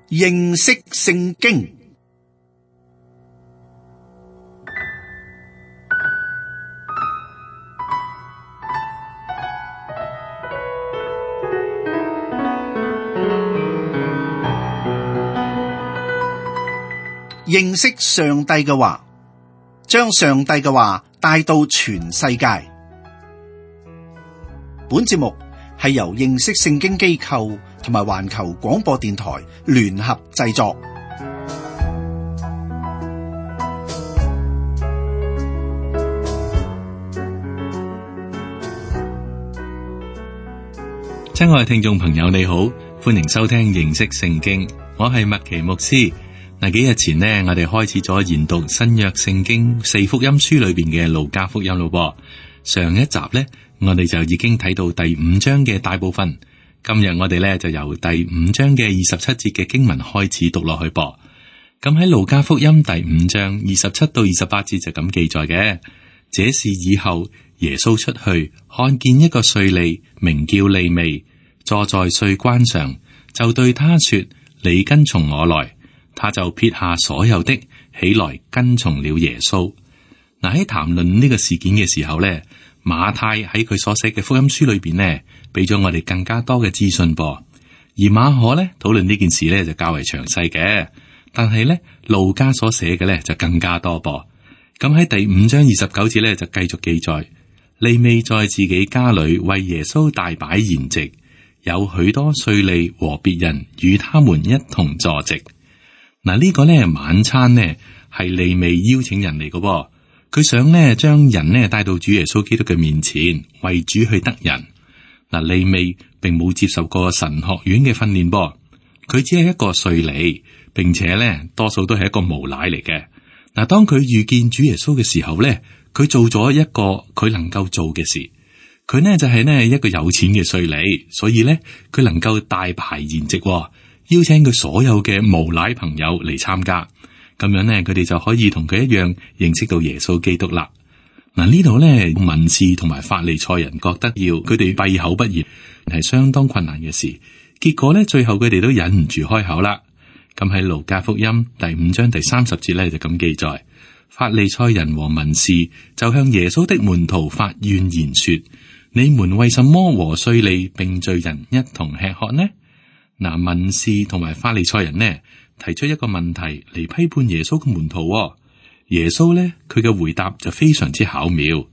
認識聖經。認識上帝嘅話，將上帝嘅話帶到全世界。本節目係由認識聖經機構同埋環球廣播電台聯合製作。親愛嘅聽眾朋友，你好，歡迎收聽認識聖經，我係麥奇牧師。嗱，幾日前呢，我哋開始咗研讀新約聖經四福音書裏邊嘅路加福音咯。上一集呢，我哋就已經睇到第五章嘅大部分。今日我哋呢，就由第五章嘅27節嘅經文開始讀落去噃。咁喺路加福音第五章27到28節就咁記載嘅。這事以後，耶穌出去，看見一個稅吏，名叫利未，坐在稅關上，就對他說：你跟從我來。他就撇下所有的，起來跟從了耶穌。嗱，喺談論呢個事件嘅時候呢，馬太喺佢所寫嘅福音書裏邊呢，俾咗我哋更加多嘅資訊噃。而馬可呢，討論呢件事呢就較為詳細嘅，但係呢，路加所寫嘅呢就更加多噃。咁喺第五章29節呢，就繼續記載，利未在自己家裏為耶穌大擺筵席，有許多稅吏和別人與他們一同坐席。嗱，呢個呢晚餐呢係利未邀請人嚟嘅，佢想呢將人呢帶到主耶穌基督嘅面前，為主去得人。嗱，利未並冇接受過神學院嘅訓練噃，佢只係一個稅吏，並且呢多數都係一個無賴嚟嘅。嗱，當佢遇見主耶穌嘅時候呢，佢做咗一個佢能夠做嘅事，佢呢就係呢一個有錢嘅稅吏，所以呢佢能夠大排筵席。邀請佢所有嘅無賴朋友嚟參加，咁樣呢，佢哋就可以同佢一樣認識到耶穌基督啦。嗱，呢度呢，文士同埋法利賽人覺得要佢哋閉口不言係相當困難嘅事，結果呢，最後佢哋都忍唔住開口啦。咁喺路加福音第五章第30節呢，就咁記載，法利賽人和文士就向耶穌的門徒發怨言說：你們為什麼和稅吏並罪人一同吃喝呢？嗱，文士同埋法利賽人呢，提出一個問題嚟批判耶穌嘅門徒。耶穌呢，佢嘅回答就非常之巧妙。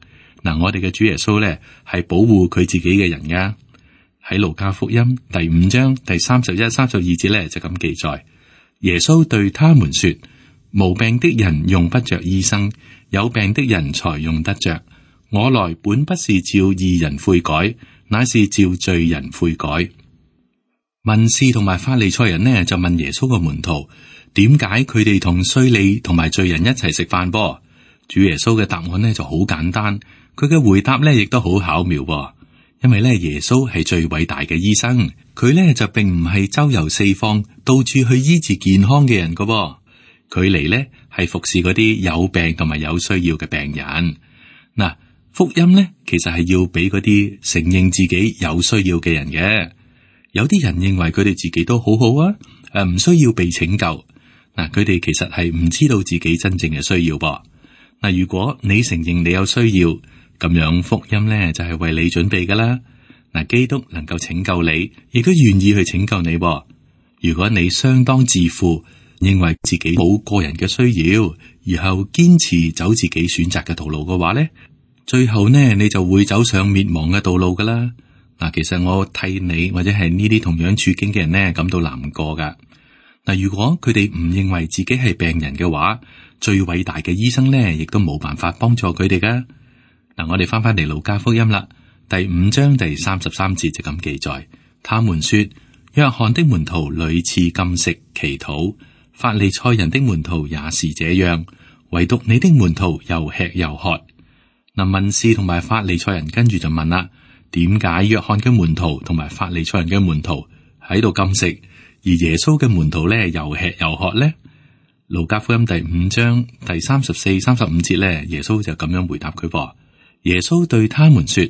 嗱，我哋嘅主耶穌呢，係保護佢自己嘅人噶。喺路加福音第五章第31、32節呢，就咁記載，耶穌對他們說：無病的人用不着醫生，有病的人才用得着。我來本不是召義人悔改，乃是召罪人悔改。文士同埋法利賽人呢，就問耶穌個門徒，點解佢哋同稅吏同埋罪人一齊食飯噃？主耶穌嘅答案呢就好簡單，佢嘅回答呢亦都好巧妙噃。因為呢，耶穌係最偉大嘅醫生，佢呢就並唔係周遊四方，到處去醫治健康嘅人噶噃。佢嚟呢係服侍嗰啲有病同埋有需要嘅病人。嗱，福音呢其實係要俾嗰啲承認自己有需要嘅人嘅。有啲人認為佢哋自己都好好啊，唔需要被拯救。嗱，佢哋其實係唔知道自己真正嘅需要噃。嗱，如果你承認你有需要，咁樣福音咧就係為你準備噶啦。嗱，基督能夠拯救你，亦都願意去拯救你噃。如果你相當自負，認為自己冇個人嘅需要，然後堅持走自己選擇嘅道路嘅話咧，最後呢你就會走上滅亡嘅道路噶啦。嗱，其實我替你或者係呢啲同樣處境嘅人呢感到難過噶。嗱，如果佢哋唔認為自己係病人嘅話，最偉大嘅醫生呢亦都冇辦法幫助佢哋噶。嗱，我哋翻嚟路加福音啦，第五章第33節就咁記載，他們說：約翰的門徒屢次禁食祈禱，法利賽人的門徒也是這樣，唯獨你的門徒又吃又喝。嗱，文士同埋法利賽人跟住就問啦。點解約翰嘅門徒同埋法利賽人嘅門徒喺度禁食，而耶穌嘅門徒咧又吃又喝呢？路加福音第五章第34、35節咧，耶穌就咁樣回答佢噃。耶穌對他們說：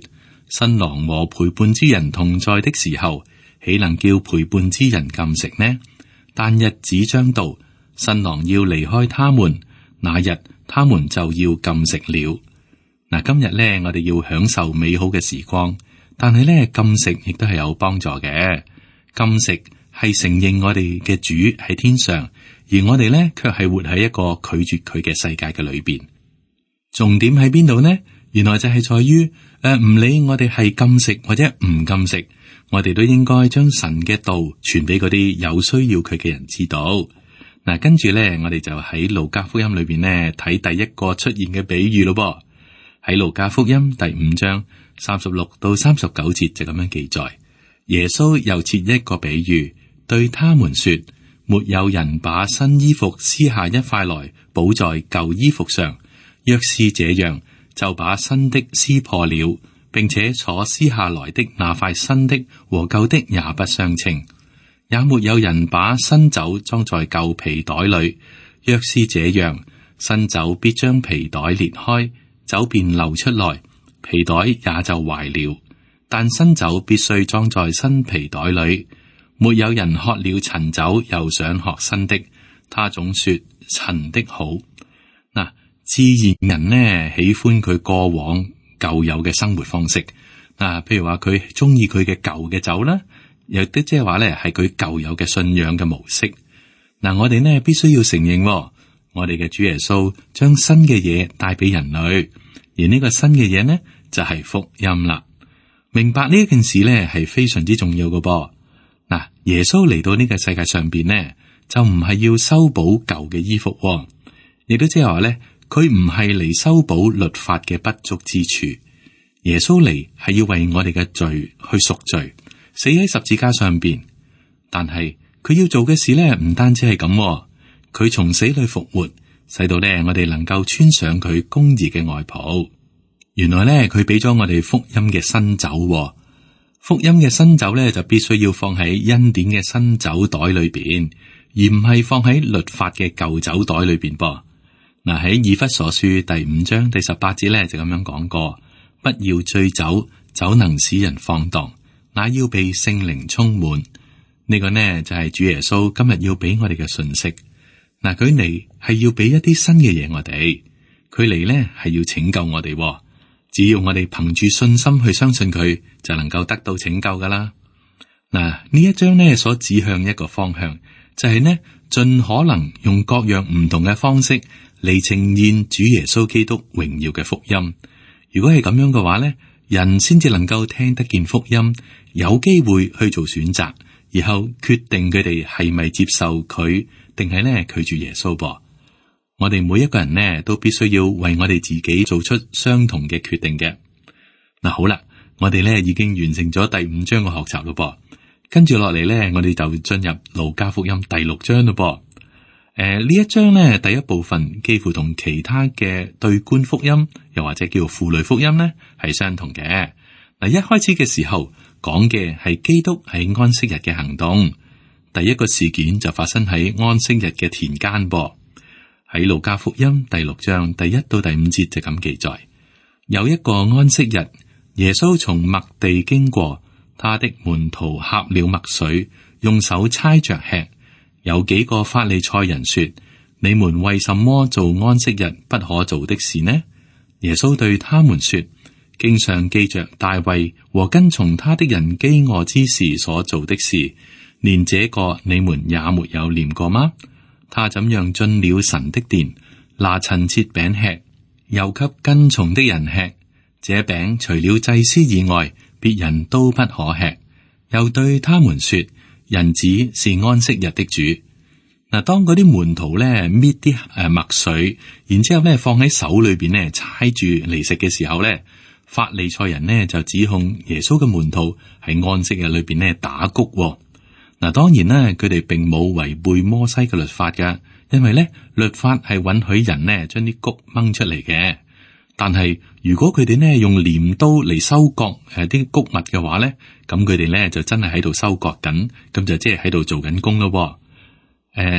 新郎和陪伴之人同在的時候，豈能叫陪伴之人禁食呢？但日子將到，新郎要離開他們，那日他們就要禁食了。嗱，今日咧，我哋要享受美好嘅時光，但係咧，禁食亦都係有幫助嘅。禁食係承認我哋嘅主喺天上，而我哋咧卻係活喺一個拒絕佢嘅世界嘅裏邊。重點喺邊度呢？原來就係在於唔理我哋係禁食或者唔禁食，我哋都應該將神嘅道傳俾嗰啲有需要佢嘅人知道。嗱，跟住咧，我哋就喺路加福音裏邊呢睇第一個出現嘅比喻咯噃。喺路加福音第5章36到39節就咁樣記載，耶穌又設一個比喻，對他們說：沒有人把新衣服撕下一塊來補在舊衣服上，若是這樣，就把新的撕破了，並且所撕下來的那塊新的和舊的也不相稱。也沒有人把新酒裝在舊皮袋裏，若是這樣，新酒必將皮袋裂開，酒便流出來，皮袋也就壞了。但新酒必須裝在新皮袋裏。沒有人喝了陳酒又想喝新的，他總說陳的好。嗱，自然人呢喜歡佢過往舊有嘅生活方式。譬如話佢中意佢嘅舊嘅酒啦，亦都即係話咧係佢舊有嘅信仰嘅模式。我哋呢必須要承認，我哋嘅主耶穌將新嘅嘢帶俾人類，而呢個新嘅嘢呢就係福音啦。明白呢件事呢係非常之重要嘅噃。耶穌嚟到呢個世界上邊呢，就唔係要修補舊嘅衣服，亦都即係話咧，佢唔係嚟修補律法嘅不足之處。耶穌嚟係要為我哋嘅罪去贖罪，死喺十字架上邊。但係佢要做嘅事咧，唔單止係咁，佢從死裏復活，使到咧我哋能夠穿上佢公義嘅外袍。原來咧，佢俾咗我哋福音嘅新酒。福音嘅新酒咧，就必須要放喺恩典嘅新酒袋裏邊，而唔係放喺律法嘅舊酒袋裏邊噃。喺以弗所書第5章第18節咧就咁樣講過：不要醉酒，酒能使人放蕩，那要被聖靈充滿。呢個呢就係主耶穌今日要俾我哋嘅信息。佢嚟係要俾一啲新嘅嘢我哋，佢嚟呢係要拯救我哋。只要我哋憑住信心去相信佢，就能夠得到拯救噶啦。呢一章呢所指向一個方向，就係呢盡可能用各樣唔同嘅方式嚟呈現主耶穌基督榮耀嘅福音。如果係咁樣嘅話呢，人先至能夠聽得見福音，有機會去做選擇，然後決定佢哋係咪接受佢，定係呢拒絕耶穌噃。我哋每一個人呢，都必須要為我哋自己做出相同嘅決定嘅。好啦，我哋呢已經完成咗第5章嘅學習咯噃，跟住落嚟呢，我哋就進入路加福音第6章咯噃。呢一章呢，第一部分幾乎同其他嘅對觀福音，又或者叫婦女福音呢，係相同嘅。一開始嘅時候講嘅係基督喺安息日嘅行動，第一個事件就發生喺安息日嘅田間噃。喺路加福音第6章第1到第5節就咁記載：有一個安息日，耶穌從麥地經過，他的門徒掐了麥穗，用手猜着吃。有幾個法利賽人說：你們為什麼做安息日不可做的事呢？耶穌對他們說：經上記着大衛和跟從他的人飢餓之時所做的事，連這個你們也沒有念過嗎？他怎樣進了神的殿，拿陳設餅吃，又給跟從的人吃。這餅除了祭司以外，別人都不可吃。又對他們說：人子是安息日的主。當嗰啲門徒咧搣啲麥穗，然之後咧放喺手裏邊咧猜住嚟食嘅時候咧，法利賽人呢就指控耶穌嘅門徒喺安息日裏邊咧打穀。當然咧，佢哋並冇違背摩西嘅律法噶，因為咧律法係允許人呢將啲穀掹出嚟嘅。但係如果佢哋呢用鐮刀嚟收割啲穀物嘅話咧，咁佢哋咧就真係喺度收割緊，咁就即係喺度做緊工咯。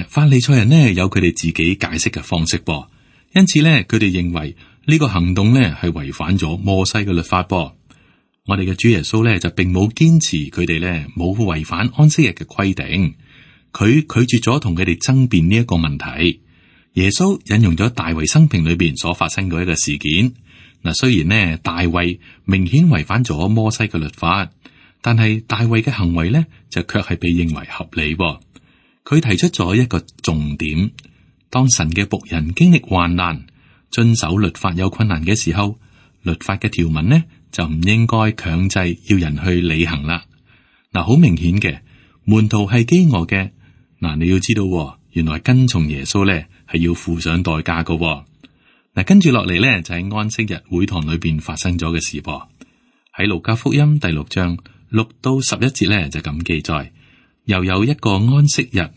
法利賽人呢有佢哋自己解釋嘅方式噃，因此咧佢哋認為呢個行動咧係違反咗摩西嘅律法噃。我哋嘅主耶穌咧就並冇堅持佢哋咧冇違反安息日嘅規定，佢拒絕咗同佢哋爭辯呢一個問題。耶穌引用咗大衛生平裏邊所發生過一個事件。嗱，雖然呢大衛明顯違反咗摩西嘅律法，但係大衛嘅行為呢就卻係被認為合理。佢提出咗一個重點：當神嘅僕人經歷患難、遵守律法有困難嘅時候，律法嘅條文呢就唔應該強制要人去履行啦。嗱，好明顯嘅，門徒係飢餓嘅。嗱，你要知道，原來跟從耶穌呢係要付上代價㗎。嗱，跟住落嚟呢，就係安息日會堂裏邊發生咗嘅事噃。喺路加福音第6章6到11節呢，就咁記載：又有一個安息日，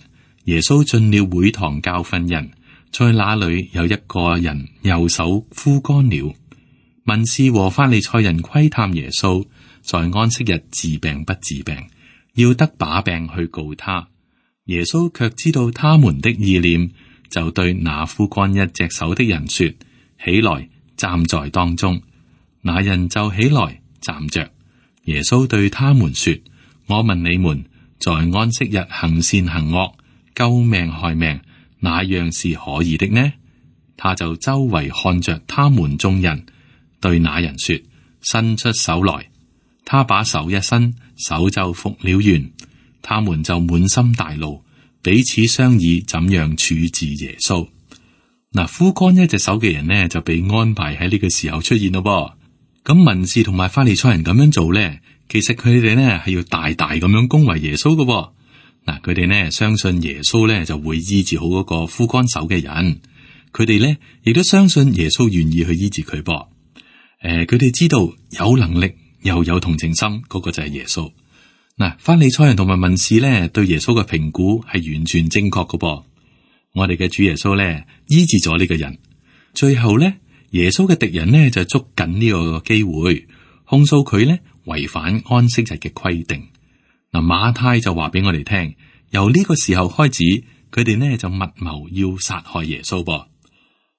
耶穌進了會堂教訓人，在那裏有一個人右手枯乾了。文士和法利賽人窺探耶穌，在安息日治病不治病，要得把柄去告他。耶穌卻知道他們的意念，就對那枯乾一隻手的人說：起來，站在當中。那人就起來站着。耶穌對他們說：我問你們，在安息日行善行惡、救命害命，哪樣是可以的呢？他就周圍看着他們眾人，對那人說：伸出手來。他把手一伸，手就復了原。他們就滿心大怒，彼此商議怎樣處置耶穌。嗱，枯乾一隻手嘅人呢，就被安排喺呢個時候出現咯。咁文士同埋法利賽人咁樣做呢，其實佢哋呢係要大大咁樣恭維耶穌嘅。嗱，佢哋呢相信耶穌呢就會醫治好嗰個枯乾手嘅人，佢哋呢亦都相信耶穌願意去醫治佢噃。佢哋知道有能力又有同情心，嗰個就係耶穌。嗱，法利賽人同埋文士呢對耶穌嘅評估係完全正確嘅噃。我哋嘅主耶穌呢醫治咗呢個人，最後呢耶穌嘅敵人呢就捉緊呢個機會控訴佢呢違反安息日嘅規定。嗱，馬太就話俾我哋聽，由呢個時候開始，佢哋呢就密謀要殺害耶穌噃。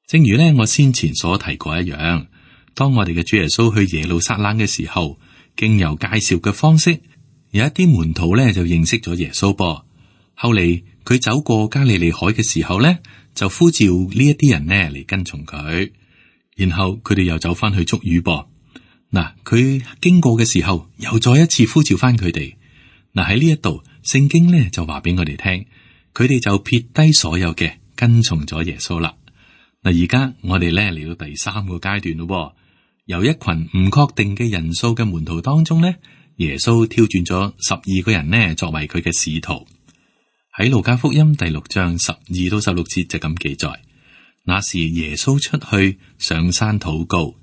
正如呢我先前所提過一樣，當我哋嘅主耶穌去耶路撒冷嘅時候，經由介紹嘅方式，有一啲門徒呢就認識咗耶穌噃。後嚟佢走過加利利海嘅時候呢，就呼召呢一啲人呢嚟跟從佢，然後佢哋又走翻去捉魚噃。嗱，佢經過嘅時候，又再一次呼召翻佢哋。嗱，喺呢一度，聖經呢就話俾我哋聽，佢哋就撇低所有嘅，跟從咗耶穌啦。嗱，而家我哋呢嚟到第3個階段咯，由一群唔確定嘅人數嘅門徒當中呢，耶穌挑選咗12個人呢作為佢嘅使徒。喺路加福音第6章12到16節就咁記載：那時耶穌出去上山禱告，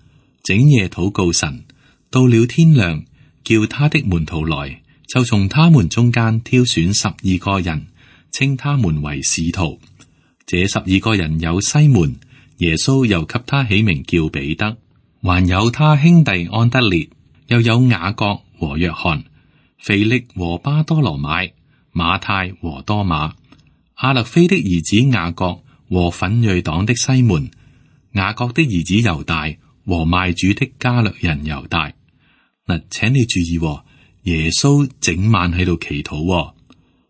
整夜禱告神，到了天亮，叫他的門徒來，就從他們中間挑選12個人，稱他們為使徒。這12個人有西門，耶穌又給他起名叫彼得，還有他兄弟安德烈，又有雅各和約翰，腓力和巴多羅買，馬太和多馬，亞勒菲的兒子雅各和奮銳黨的西門，雅各的兒子猶大和賣主的加略人猶大。嗱，請你注意，耶穌整晚喺度祈禱，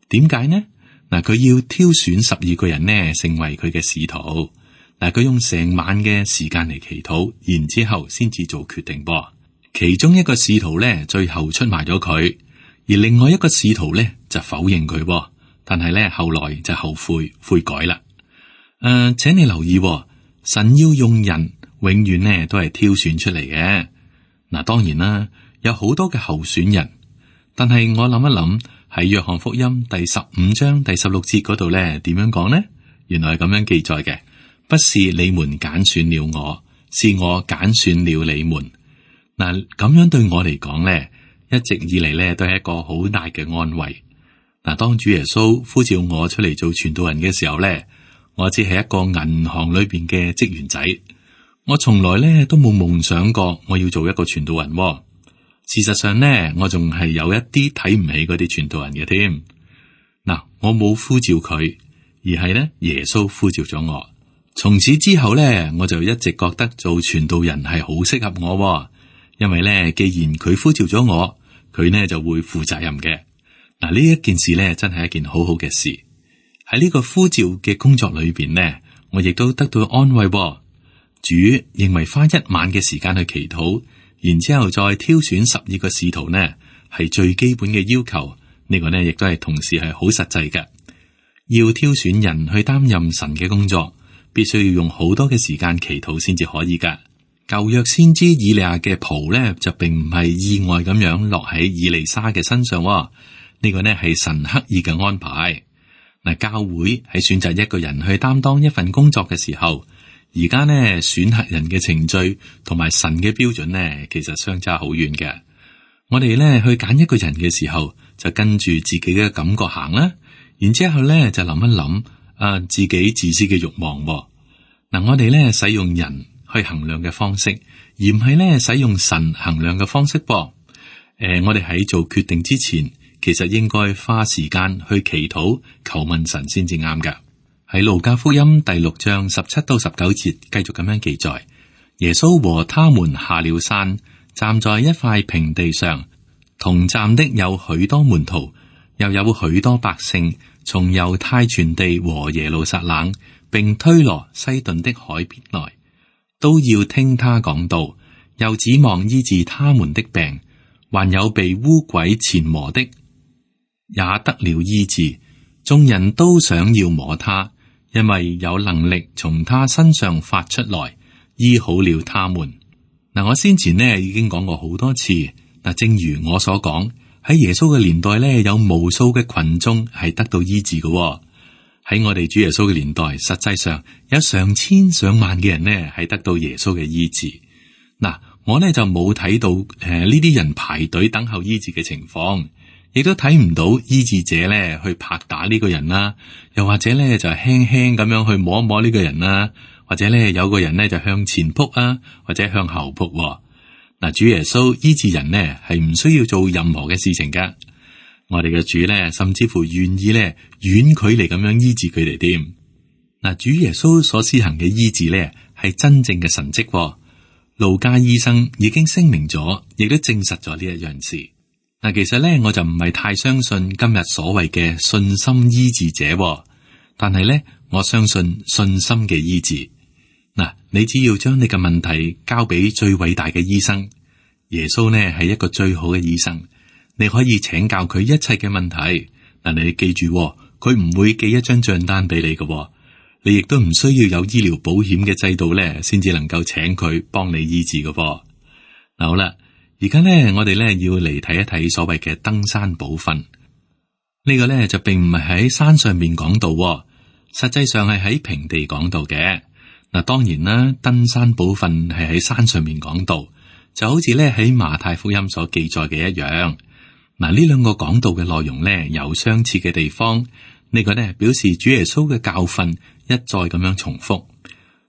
點解呢？嗱，佢要挑選12個人呢，成為佢嘅使徒。嗱，佢用成晚嘅時間嚟祈禱，然之後先至做決定噃。其中一個使徒呢，最後出賣咗佢。而另外一個使徒咧就否認佢，但係咧後來就後悔改啦。請你留意，神要用人，永遠呢都係挑選出嚟嘅。嗱，當然啦，有好多嘅候選人，但係我諗一諗喺約翰福音第15章第16節嗰度咧，點樣講呢？原來係咁樣記載嘅，不是你們揀選了我，是我揀選了你們。嗱，咁樣對我嚟講咧，一直以嚟咧都係一個好大嘅安慰。嗱，當主耶穌呼召我出嚟做傳道人嘅時候咧，我只係一個銀行裏邊嘅職員仔，我從來咧都冇夢想過我要做一個傳道人。事實上咧，我仲係有一啲睇唔起嗰啲傳道人嘅添。嗱，我冇呼召佢，而係咧耶穌呼召咗我。從此之後咧，我就一直覺得做傳道人係好適合我。因為咧，既然佢呼召咗我，佢呢就會負責任嘅。嗱，呢一件事咧，真係一件好好嘅事。喺呢個呼召嘅工作裏邊呢，我亦都得到安慰喎。主認為花一晚嘅時間去祈禱，然之後再挑選12個使徒呢，係最基本嘅要求。呢個呢亦都係同時係好實際嘅。要挑選人去擔任神嘅工作，必須要用好多嘅時間祈禱先至可以噶。舊約先知以利亞嘅袍呢，就並唔係意外咁樣落喺以利沙嘅身上喎。呢個呢係神刻意嘅安排。嗱，教會喺選擇一個人去擔當一份工作嘅時候，而家呢選核人嘅程序同埋神嘅標準呢，其實相差好遠嘅。我哋呢去揀一個人嘅時候，就跟住自己嘅感覺行啦，然之後呢就諗一諗自己自私嘅慾望喎。嗱，我哋呢使用人去衡量嘅方式，而唔係呢使用神衡量嘅方式噃。我哋喺做決定之前，其實應該花時間去祈禱求問神先至啱噶。喺路加福音第6章17到19節繼續咁樣記載，耶穌和他們下了山，站在一塊平地上，同站的有許多門徒，又有許多百姓從猶太全地和耶路撒冷並推羅西頓的海邊來，都要聽他講道，又指望醫治他們的病。還有被污鬼纏磨的也得了醫治，眾人都想要摸他，因為有能力從他身上發出來，醫好了他們。嗱，我先前呢已經講過好多次，嗱，正如我所講，喺耶穌嘅年代呢，有無數嘅群眾係得到醫治嘅。喺我哋主耶穌嘅年代，實際上有上千上萬嘅人呢係得到耶穌嘅醫治。嗱，我呢就冇睇到呢啲人排隊等候醫治嘅情況，亦都睇唔到醫治者呢去拍打呢個人啦，又或者呢就輕輕咁樣去摸一摸呢個人啦，或者呢有個人呢就向前撲啊，或者向後撲。嗱，主耶穌醫治人呢係唔需要做任何嘅事情噶，我哋嘅主呢甚至乎願意呢遠距離咁樣醫治佢哋添。嗱，主耶穌所施行嘅醫治呢係真正嘅神蹟。路加醫生已經聲明咗，亦都證實咗呢一樣事。嗱，其實咧我就唔係太相信今日所謂嘅信心醫治者，但係咧我相信信心嘅醫治。嗱，你只要將你嘅問題交俾最偉大嘅醫生，耶穌呢係一個最好嘅醫生，你可以請教佢一切嘅問題。嗱，你記住，佢唔會寄一張賬單俾你嘅。你亦都唔需要有醫療保險嘅制度咧，先至能夠請佢幫你醫治嘅噃。嗱，好啦，而家咧我哋咧要嚟睇一睇所謂嘅登山寶訓。呢個咧就並唔係喺山上面講道，實際上係喺平地講道嘅。嗱，當然啦，登山寶訓係喺山上面講道，就好似咧喺馬太福音所記載嘅一樣。嗱，呢兩個講道嘅內容咧有相似嘅地方。呢個咧表示主耶穌嘅教訓一再咁樣重複。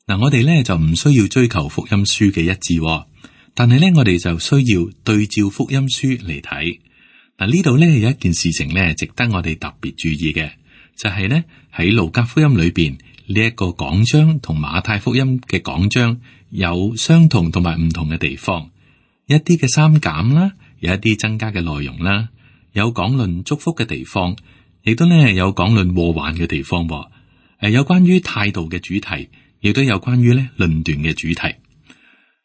嗱，我哋咧就唔需要追求福音書嘅一致，但係咧我哋就需要對照福音書嚟睇。嗱，呢度咧有一件事情咧值得我哋特別注意嘅，就係咧喺路加福音裏邊呢一個講章同馬太福音嘅講章有相同同埋唔同嘅地方，一啲嘅刪減啦，有一啲增加嘅內容啦，有講論祝福嘅地方。亦都咧有講論禍患嘅地方，有關於態度嘅主題，亦都有關於咧論斷嘅主題。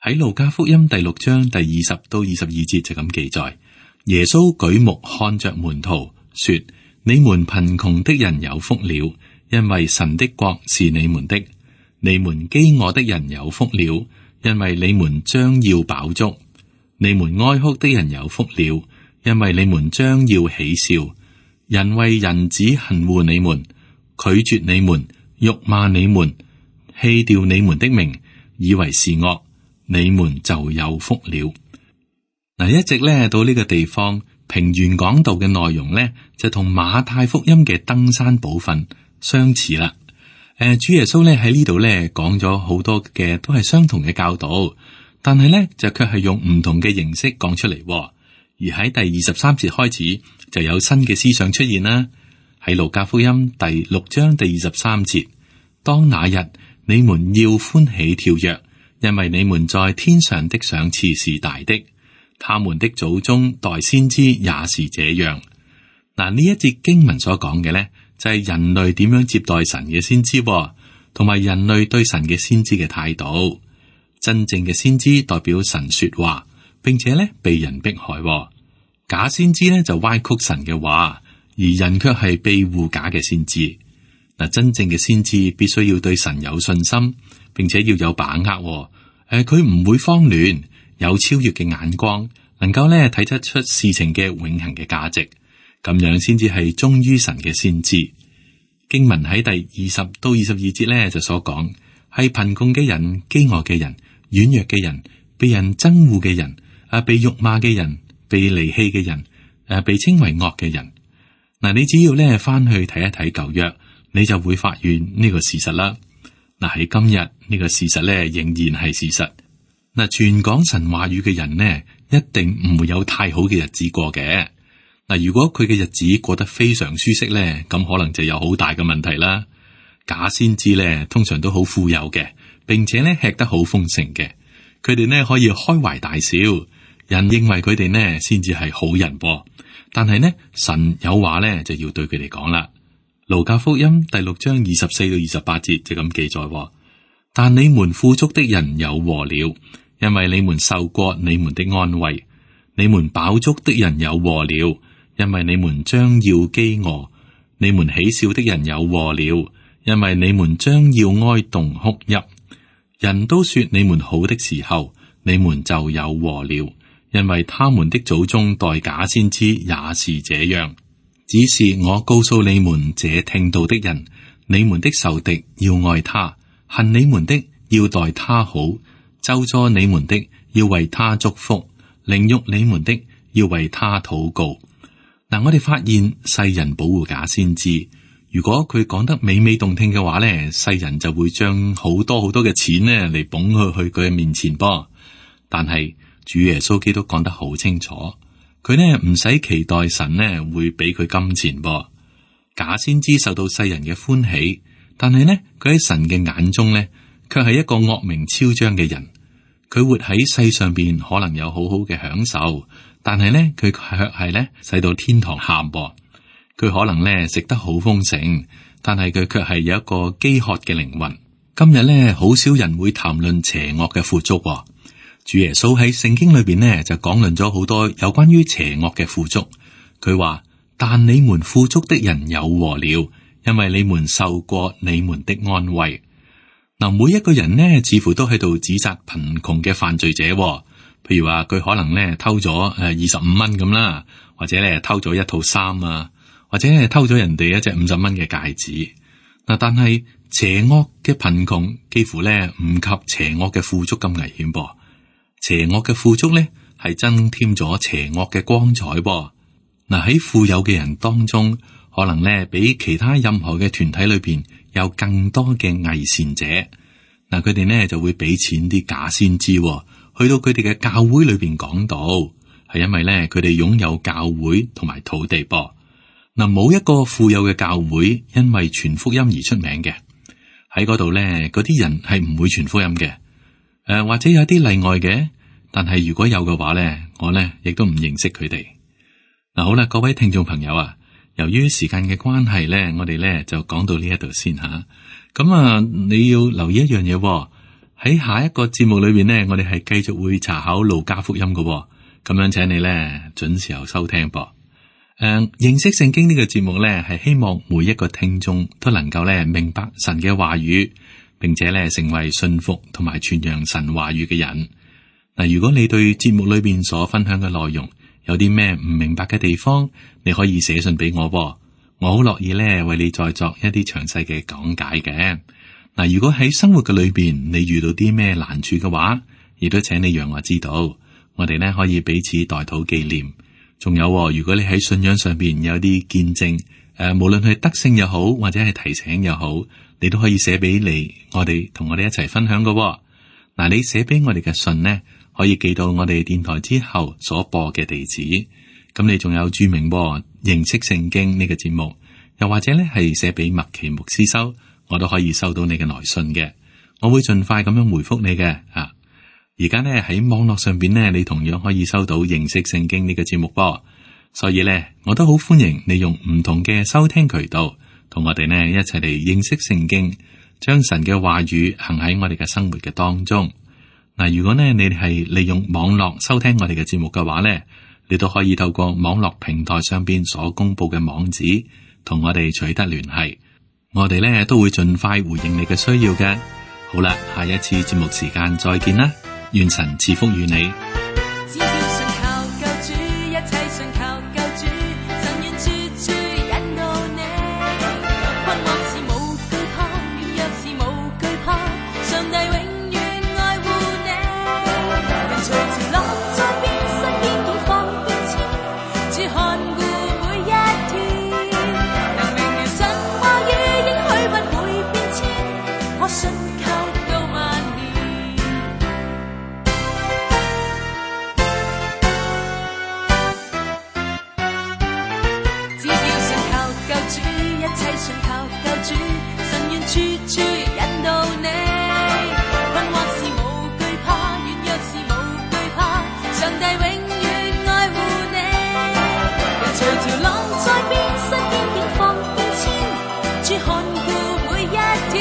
喺路加福音第6章第20到22節就咁記載：耶穌舉目看着門徒，說：你們貧窮的人有福了，因為神的國是你們的；你們飢餓的人有福了，因為你們將要飽足；你們哀哭的人有福了，因為你們將要喜笑。人為人子恨惡你們，拒絕你們，辱罵你們，棄掉你們的名，以為是惡，你們就有福了。嗱，一直咧到呢個地方，平原講道嘅內容咧就同馬太福音嘅登山寶訓相似啦。主耶穌咧喺呢度咧講咗好多嘅都係相同嘅教導，但係咧就卻係用唔同嘅形式講出嚟。而喺第23節開始就有新嘅思想出現啦。喺路加福音第6章第23節，當那日你們要歡喜跳躍，因為你們在天上的賞賜是大的，他們的祖宗代先知也是這樣。嗱，呢一節經文所講嘅呢，就係人類點樣接待神嘅先知，同埋人類對神嘅先知嘅態度。真正嘅先知代表神說話，並且咧被人迫害。假先知咧就歪曲神嘅話，而人卻係庇護假嘅先知。嗱，真正嘅先知必須要對神有信心，並且要有把握。佢唔會慌亂，有超越嘅眼光，能夠咧睇得出事情嘅永恆嘅價值，咁樣先至係忠於神嘅先知。經文喺第20到22節咧就所講，係貧窮嘅人、飢餓嘅人、軟弱嘅人、被人憎惡嘅人、被辱罵嘅人、被離棄嘅人、被稱為惡嘅人。嗱，你只要咧翻去睇一睇舊約，你就會發現呢個事實啦。嗱，喺今日呢個事實咧仍然係事實。嗱，傳講神話語嘅人呢，一定唔會有太好嘅日子過嘅。嗱，如果佢嘅日子過得非常舒適咧，咁可能就有好大嘅問題啦。假先知咧，通常都好富有嘅，並且咧吃得好豐盛嘅。佢哋呢可以開懷大笑，人認為佢哋呢先至係好人噃。但係呢，神有話咧就要對佢哋講啦。路加福音第6章24到28節就咁記載：但你們富足的人有禍了，因為你們受過你們的安慰；你們飽足的人有禍了，因為你們將要飢餓；你們喜笑的人有禍了，因為你們將要哀慟哭泣。人都說你們好的時候，你們就有禍了，因為他們的祖宗待假先知也是這樣。只是我告訴你們這聽道的人，你們的仇敵要愛他，恨你們的要待他好，咒詛你們的要為他祝福，凌辱你們的要為他禱告。嗱，我哋發現世人保護假先知，如果佢講得美美動聽嘅話咧，世人就會將好多好多嘅錢呢嚟捧佢去佢嘅面前噃。但係主耶穌基督講得好清楚，佢呢唔使期待神呢會俾佢金錢噃。假先知受到世人嘅歡喜，但係呢佢喺神嘅眼中呢，卻係一個惡名昭彰嘅人。佢活喺世上邊可能有好好嘅享受，但係呢佢卻係呢使到天堂喊噃。佢可能呢食得好豐盛，但係佢卻係有一個飢渴嘅靈魂。今日呢好少人會談論邪惡嘅富足喎。主耶穌喺聖經裏邊呢就講論咗好多有關於邪惡嘅富足。佢話：但你們富足的人有禍了，因為你們受過你們的安慰。嗱，每一個人呢似乎都喺度指責貧窮嘅犯罪者喎。譬如話佢可能呢偷咗25蚊咁啦，或者呢偷咗一套衫啊，或者係偷咗人哋一隻50蚊嘅戒指。嗱，但係邪惡嘅貧窮幾乎呢唔及邪惡嘅富足咁危險噃。邪惡嘅富足呢係增添咗邪惡嘅光彩噃。嗱，喺富有嘅人當中，可能呢比其他任何嘅團體裏邊有更多嘅偽善者。嗱，佢哋呢就會俾錢啲假先知，去到佢哋嘅教會裏邊講道，係因為呢佢哋擁有教會同埋土地噃。嗱，冇一個富有嘅教會因為傳福音而出名嘅。喺嗰度呢，嗰啲人係唔會傳福音嘅。或者有啲例外嘅，但係如果有嘅話呢，我呢亦都唔認識佢哋。嗱，好啦，各位聽眾朋友啊，由於時間嘅關係呢，我哋呢就講到呢一度先吓。咁你要留意一樣嘢，喺下一個節目裏邊呢，我哋係繼續會查考路加福音嘅。咁樣請你呢準時候收聽噃。認識聖經呢個節目呢，係希望每一個聽眾都能夠呢明白神嘅話語，並且呢成為信服同埋傳揚神話語嘅人。嗱，如果你對節目裏邊所分享嘅內容有啲咩唔明白嘅地方，你可以寫信俾我，我好樂意呢為你再作一啲詳細嘅講解嘅。嗱，如果喺生活嘅裏邊你遇到啲咩難處嘅話，亦都請你讓我知道，我哋呢可以彼此代禱紀念。仲有，如果你喺信仰上邊有啲見證，無論係得勝又好，或者係提醒又好，你都可以寫俾你，我哋同我哋一齊分享嘅。嗱，你寫俾我哋嘅信呢，可以寄到我哋電台之後所播嘅地址。咁你仲有注明認識聖經呢個節目，又或者呢係寫俾麥奇牧師收，我都可以收到你嘅來信嘅。我會盡快咁樣回覆你嘅。而家呢喺網絡上邊呢，你同樣可以收到認識聖經呢個節目噃。所以呢，我都好歡迎你用唔同嘅收聽渠道同我哋呢一齊嚟認識聖經，將神嘅話語行喺我哋嘅生活嘅當中。嗱，如果呢你係利用網絡收聽我哋嘅節目嘅話呢，你都可以透過網絡平台上邊所公布嘅網址，同我哋取得聯繫。我哋呢都會盡快回應你嘅需要嘅。好啦，下一次節目時間再見啦，願神賜福與你。只要信靠救主，一切信靠救主，神願處處引導你。困惑是無懼怕，軟弱是無懼怕，上帝永遠愛護你。人隨潮浪在變，身邊境況變遷，主看顧每一天。能明了神話語應許不會變遷，可信靠到萬年。只要信靠救主，一切信靠救主，神願處處引導你。困惑是無懼怕，軟弱是無懼怕，上帝永遠愛護你。人隨潮浪在變，身邊境況變遷，主看顧每一天。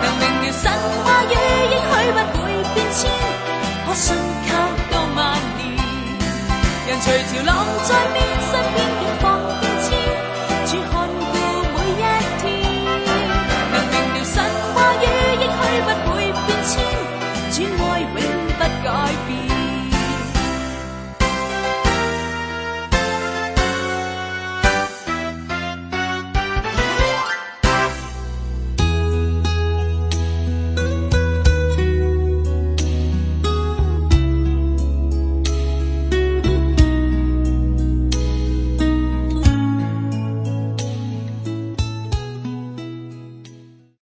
能明了神話語應許不會變遷，可信靠到萬年。人隨潮浪在變，